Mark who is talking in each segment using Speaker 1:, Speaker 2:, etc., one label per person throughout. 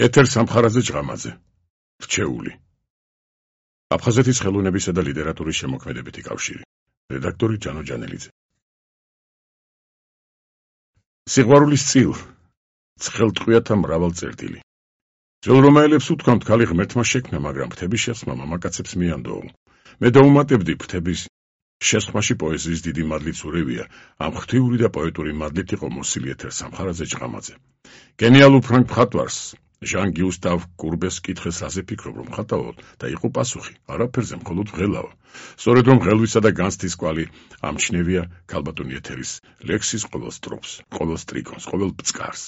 Speaker 1: ეთერ სამხარაძე ჭღამაძე, რჩეული. აფხაზეთის ხელოვნებისა და ლიტერატურის შემოქმედებითი კავშირი. რედაქტორი ჯანო ჯანელიძე. სიყვარულის წილ, ცხელტყვიათა მრავალ წერტილი. ძველ რომაელებს უთქვამთ, ქალი ღმერთმა შექმნა, მაგრამ ფრთების შესხმა მამაკაცებს მიანდოო. მე დაუმატებდი, ფრთების შესხმაში პოეზიის დიდი მადლიც ურევია, ამ ღვთიური და პოეტური მადლით იყო მოსილი ეთერ სამხარაძე ჭღამაძე. გენიალურ ფრანგ მხატვარს ჟან გიუსტავ კურბეს კითხეს რაზე ფიქრობ, რომ ხატავთ და იყო პასუხი, არაფერზე, მხოლოდ ღელავა. სწორედ რომ ღელვისა და განსთის კვალი ამჩნევია ქალბატონი ეთერის ლექსის ყოველ სტროფს, ყოველ სტრიქონს, ყოველ ბწკარს.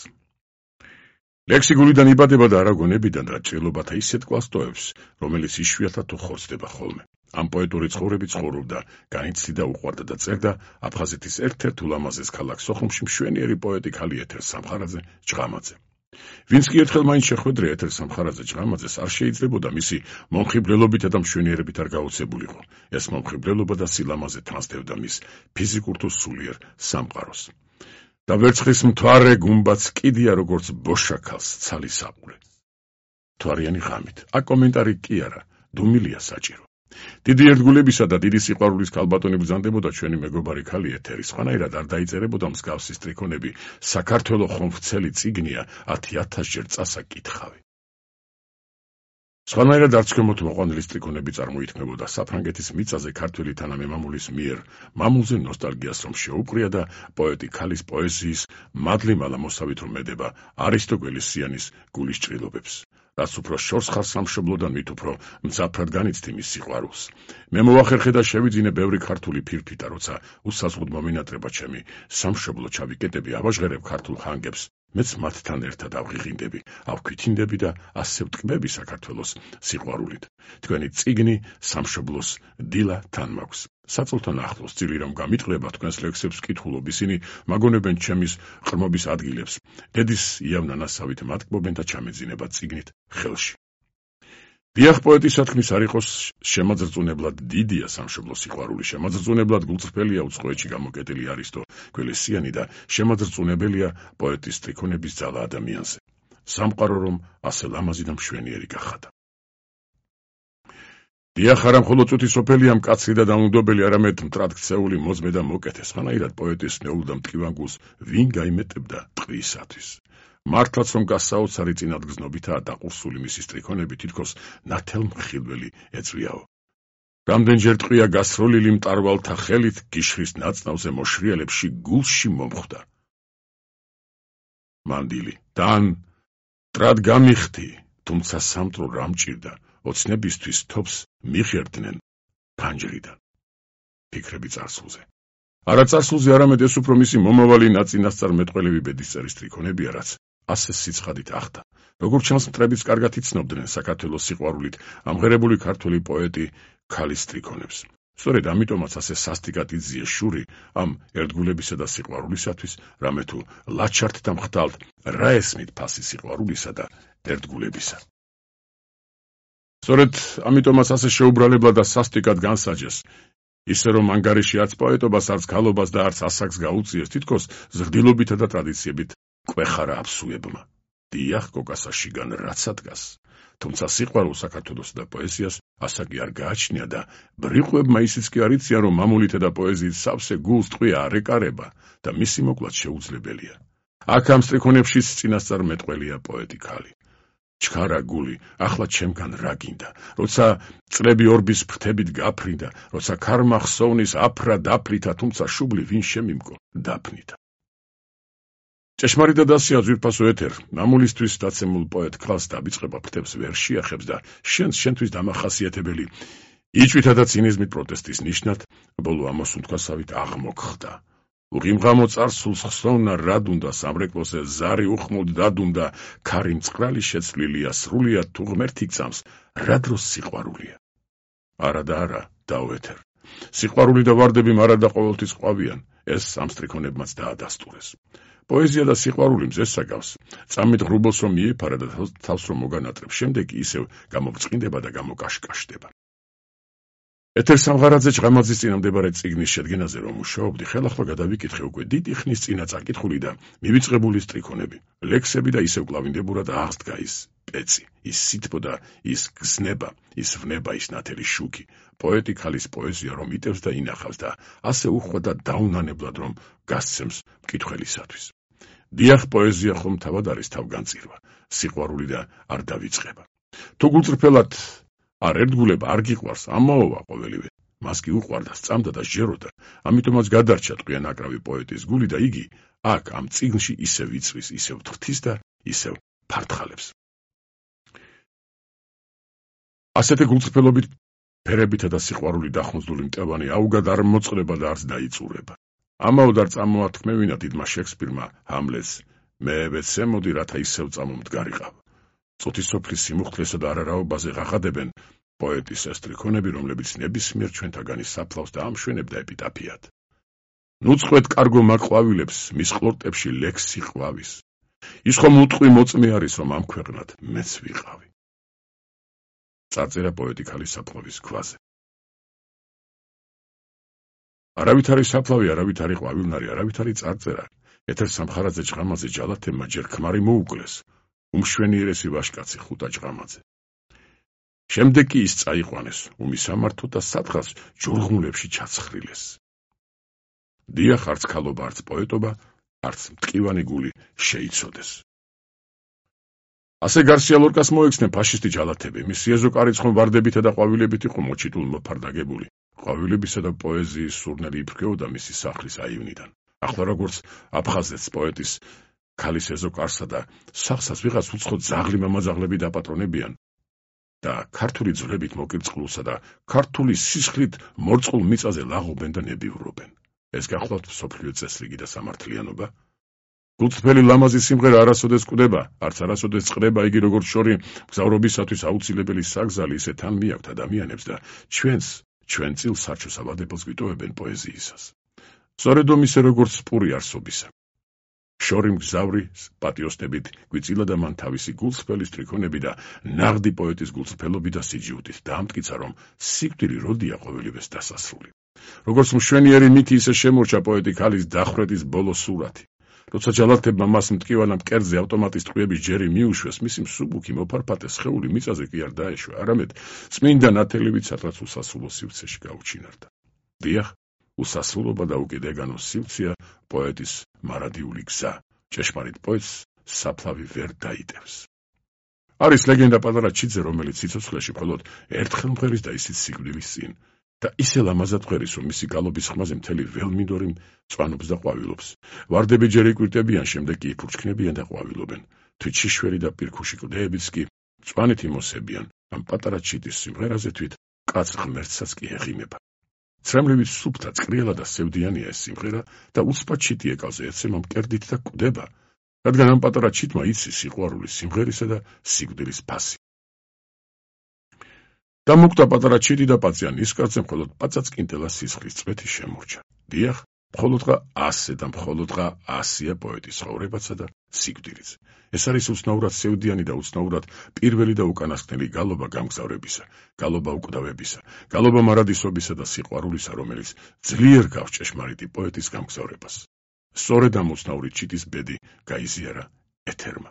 Speaker 1: ლექსი გულიდან იბადება და არა გონებიდან, რა ჭრილობათა ისეთ კვალს ტოვებს, რომელიც იშვიათად უხორცდება ხოლმე. ამ პოეტური ცხოვრებით ცხოვრობდა, განიცდიდა, უყვარდა და წერდა აფხაზეთის ერთ-ერთ ულამაზეს ქალაქ სოხუმში მშვენიერი პოეტი ქალი ეთერ სამხარაძე ჭღამაძე. ვინც კი ერთხელ მაინც შეხვედრია ეთერ სამხარაძე ჭღამაძეს, არ შეიძლებოდა მისი მომხიბვლელობითა და მშვენიერებით არ გაოცებულიყო. ეს მომხიბვლელობა და სილამაზე თანსდევდა მის ფიზიკურ თუ სულიერ სამყაროს. და ვერცხლის მთვარე გუმბაც კიდია, როგორც ბოშა ქალს ცალი საყურე. მთვარიანი ღამით. აქ კომენტარი კი არა, დუმილია საჭირო. დიდი ერთგულებისა და დიდი სიყვარულის ქალბატონი ბრძანდებოდა ჩვენი მეგობარი ქალი ეთერი, სხვანაირად არ დაიწერებოდა მსგავსი სტრიქონები, საქართველო ხომხცელი წიგნია 10,000-ჯერ წასაკითხავი. სხვანაირად არც ქვემოთ მოყვანილი სტრიქონები წარმოითქმებოდა საფრანგეთის მიწაზე ქართველი თანამემამულის მიერ, მამულზე ნოსტალგიას რომ შეუპყრია და პოეტი ქალის პოეზიის მადლი მალამოსავით რომ მედება არისტოგველის სიანის გულის ჭრილობებს. რაც უფრო შორს ხარ სამშობლოდან, მით უფრო მძაფრად განიცდი მის სიყვარულს. მე მოვახერხე და შევიძინე ბევრი ქართული ფირფიტა, როცა უსაზღუდ მომინატრება ჩემი სამშობლო ჩავიკეტები, ავაჟღერებ ქართულ ხანგებს, მეც მათთან ერთად ავღიღინდები, ავქვითინდები და ასე ვტკბები საქართველოს სიყვარულით. თქვენი წიგნი სამშობლოს დილა თან მაქვს. საწოლთან ახლოს ძილი რომ გამიტყლება, თქვენს ლექსებს ვკითხულობ, ისინი მაგონებენ ჩემის ყრმობის ადგილებს. დედის იავნანასავით მატკბობენ და ჩამეძინება წიგნით ხელში. დიახ, პოეტის სათქმის არ იყოს შემაძრწუნებლად დიდია სამშობლოს სიყვარული, შემაძრწუნებლად გულწრფელია უცხოეთში გამოკეტილი არისტო გველესიანი და შემაძრწუნებელია პოეტის სტრიქონების ძალა ადამიანზე. სამყარო რომ ასე ლამაზი და მშვენიერი გახადა. დიახ, არა მხოლოდ წუთი სოფელია მკაცრი და დაუნდობელი, არამედ მტრად ქცეული მოძმე და მოკეთე, სხვანაირად პოეტის ნეულ და მტკივან გულს ვინ გაიმეტებდა ტყვიისათვის. მართლაც რომ გასაოცარი წინადგზნობითაა დაყურსული მისი სტრიქონები, თითქოს ნათელმხილველი ეწვიაო. რამდენჯერ ტყვია გასროლილი მტარვალთა ხელით გიშრის ნაცნავზე მოშრიალებში გულში მომხვდა. მანდილი, თან მტრად გამიხდი, თუმცა სამტრო რა მჭირდა, ოცნებისთვის თობს მიხერდნენ ფანჯრიდან. ფიქრები წარსულზე. არა წარსულზე, არამედ ეს უფრო მისი მომავალი ნაწინასწარ მეტყველები ბედისწერის სტრიქონებია, რაც ასე სიცხადით ახდა. როგორც ჩანს, მტრებიც კარგად იცნობდნენ საქართველოს სიყვარულით ამღერებული ქართველი პოეტი ქალის სტრიქონებს. სწორედ ამიტომაც ასე სასტიკად იძიეს შური ამ ერთგულებისა და სიყვარულისათვის, რამე თუ ლაჩართ და მხტალთ რა ესმით ფასი სიყვარულისა და ერთგულებისა. სწორედ ამიტომაც ასე შეუბრალებლად და სასტიკად განსაჯეს, ისე რომ ანგარიში არც პოეტობას, არც ქალობას და არც ასაკს გაუწიეს, თითქოს ზრდილობითა და ტრადიციებით კვეხარა აბსუებმა. დიახ, კოკასაშიგან რაცა დგას, თუმცა სიყვარულს საქართველოსა და პოეზიას ასაკი არ გააჩნია და ბრიყვებმა ისიც კი არ იციან, რომ მამულითა და პოეზიის სავსე გულს ტყვია არ ეკარება და მისი მოკლაც შეუძლებელია. აქ ამ სტრიქონებშიც წინასწარ მეტყველია პოეტი ქალი. ჩქარა გული, ახლა ჩემგან რა გინდა, როცა წლები ორბის ფრთებით გაფრინდა, როცა ქარმა ხსოვნის აფრა დაფრითა, თუმცა შუბლი ვინ შემიმკო დაფნითა. ჭეშმარიტად ასეა ძვირფასო ეთერ, მამულისთვის დაცემულ პოეტ ქალს დაბიწყება ფრთებს ვერ შეახებს და შენთვის დამახასიათებელი იჭვითა და ცინიზმით პროტესტის ნიშნად ბოლო ამოსუნთქვასავით აღმოხდა. უღიმღამო წარსულს ხსოვნა რად უნდა, სამრეკლოზე ზარი უხმოდ დადუნდა, ქარი მწყრალი შეცვლილია, სრულიად თუ ღმერთი გწამს, რა დროს სიყვარულია. არა და არა, დაუეთერ. სიყვარული და ვარდები მარად და ყოველთვის ყვავიან, ეს ამ სტრიქონებმაც დაადასტურეს. პოეზია და სიყვარული მზესა გავს, წამით ღრუბელს რომ მიეფარა და თავს რომ მოგანატრებს, შემდეგ ისევ გამოგწყინდება და გამოკაშკაშდება. ეთერ სამხარაძე ჭღამაძის წინამდებარე წიგნის შედგენაზე რომ მუშაობდი, ხელახლა გადავიკითხე უკვე დიდი ხნის წინა წაკითხული და მივიწყებული სტრიქონები, ლექსები და ისევ კლავინდებურად აღსდგა ის პეცი, ის სითბო და ის გზნება, ის ვნება, ის ნათელი შუქი. პოეტი ქალის პოეზია რომ იტევს და ინახავს და ასე უხვდა დაუნანებლად რომ გასცემს მკითხველისათვის. დიახ, პოეზია ხომ თავად არის თავგანწირვა, სიყვარული და არ დავიწყება. თუ გულწრფელად არ ერთგულება, არ გიყვარს, ამაოვა ყოველივე. მას კი უყვარდა, სწამდა და სჯეროდა, ამიტომაც გადარჩა ტყვია ნაკრავი პოეტის გული და იგი აქ ამ წიგნში ისევ იწვის, ისევ თრთის და ისევ ფართხალებს. ასეთი გულწრფელობით ფერებითა და სიყვარული დახმძული მტევანი აუგად არ მოწყდება და არც დაიწურება. ამაოდ არ წამოათქმევინა დიდმა შექსპირმა ჰამლეტს, მე ვეცემოდი, რათა ისევ წამომდგარიყავ. წუთის სოფლის სიმუხთლესა და არარაობაზე ღაღადებენ პოეტის ესტრიქონები, რომლებიც ნებისმიერ ჩვენთაგანის საფლავს და ამშვენებდა ეპიტაფიად. ნუწყვეთ კარგო მაყვავილებს, მის ყლორტებში ლექსი ყვავის. ის ხომ უტყვი მოწმე არის, რომ ამ ქვეყნად მეც ვიყავი. წარწერა პოეტი ქალის საფლავის ქვაზე. არავით არის საფლავი, არავით არის ყვავილნარი, არავით არის წარწერა. ეთერ სამხარაძე ჭყამაძე ჯალათებმა ჯერ ქმარი მოუკლეს, უმშვენიერესი ვაჟკაცი ხუტა ჭყამაძე. შემდეგ კი ის წაიყვანეს, უმისამართო და სათხას ჯორღმულებში ჩაცხრილეს. დიახ, არც ქალობა, არც პოეტობა, არც მტკივანი გული შეიცოდეს. ასე გარსია ლორკას მოექცნენ ფაშისტი ჯალათები, მისი ეზო-კარიც ხომ ვარდებითა და ყვავილებით იყო მოჩიტულ მოფარდაგებული. ყვავილებისა და პოეზიის სურნელი იფრქეოდა მისი სახლის აივნიდან. ახლა როგორც აფხაზეთს პოეტის ქალის ეზო-კარსა და სახსაც ვიღაც უცხო ძაღლი მამაძაღლები დაპატრონებიან და ქართული ძვლებით მოკირწყლულსა და ქართული სისხლით მორწყულ მიწაზე ლაღობენ და ნებივრობენ. ეს გახლავთ მსოფლიო წესრიგი და სამართლიანობა? გულწრფელი ლამაზი სიმღერა არასოდეს კვდება, არც არასოდეს წყდება, იგი როგორც შორი მგზავრობისათვის აუცილებელი საგზალი, ისე თან მიაქვთ ადამიანებს და ჩვენ წილ სარჩოს ავადებელს გვიტოვებენ პოეზიისას. სწორედ ისე როგორც პური არსობისა. შორი მგზავრი პატიოსნებით გვიწილა და მან თავისი გულწრფელი სტრიქონები და ნაღდი პოეტის გულწრფელობი და სიჯიუტით დაამტკიცა, რომ სიკვდილი როდია ყოველივეს დასასრული. როგორც მშვენიერი მითი ისე შემორჩა პოეტი ქალის დახვრეტის ბოლო სურათი. როცა ჯალათებმა მას მტკივანა მკერდზე ავტომატის ტყვიების ჯერი მიუშვეს, მისი მსუბუქი მოფარფატე სხეული მიწაზე კი არ დაეშვა, არამედ წმინდა ნათელივით სადღაც უსასრულო სივრცეში გაუჩინარდა. დიახ, უსასრულობა და უკიდეგანო სივრცეა პოეტის მარადიული გზა. ჭეშმარიტ პოეტს საფლავი ვერ დაიტევს. არის ლეგენდა პატარა ჩიძე, რომელიც სიცოცხლეში მხოლოდ ერთხელ მღერის და ისიც სიკვდილის წინ. და ისე ლამაზად მღერის, რომ მისი გალობის ხმაზე მთელი ველმინდორი მწვანობს და ყვავილობს. ვარდები ჯერ იკვირტებიან, შემდეგ კი იფურჩქნებიან და ყვავილობენ. თვითშიშველი და პირქუში კლდეებიც კი მწვანით იმოსებიან. ამ პატარა ჩიტის სიმღერაზე თვით კაც ღმერთსაც კი ეღიმება. ცრემლივით სუფთა, წკრიალა და სევდიანია ეს სიმღერა და უცბად ჩიტი ეკალზე ეცემა მკერდით და კვდება, რადგან ამ პატარა ჩიტმა იცის სიყვარულის, სიმღერისა და სიკვდილის ფასი. დამოკვდა პატარა ჩიტი და პაცია ნისკარტზე მხოლოდ პაწაწკინტელა სისხლის წვეთი შემორჩა. დიახ, მხოლოდღა ასე და მხოლოდღა ასია პოეტის ცხოვრებაცა და სიკვდილიც. ეს არის უცნაურად სევდიანი და უცნაურად პირველი და უკანასკნელი გალობა გამგზავრებისა, გალობა უკვდავებისა, გალობა მარადისობისა და სიყვარულისა, რომელიც ძლიერ გავს ჭეშმარიტი პოეტის გამგზავრებას. სწორედ ამ უცნაური ჩიტის ბედი გაიზიარა ეთერმა.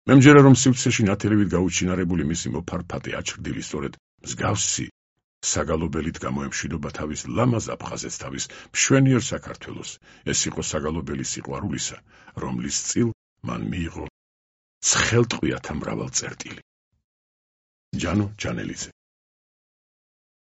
Speaker 1: მე მჯერა, რომ სივრცეში ნათელივით გაუჩინარებული მისი მოფარფატე აჩრდილი სწორედ მსგავსი საგალობელით გამოემშვიდობა თავის ლამაზ აფხაზეთს, თავის მშვენიერ საქართველოს. ეს იყო საგალობელი სიყვარულისა, რომლის წილ მან მიიღო ცხელტყვიათა მრავალწერტილი. ჯანო ჯანელიძე.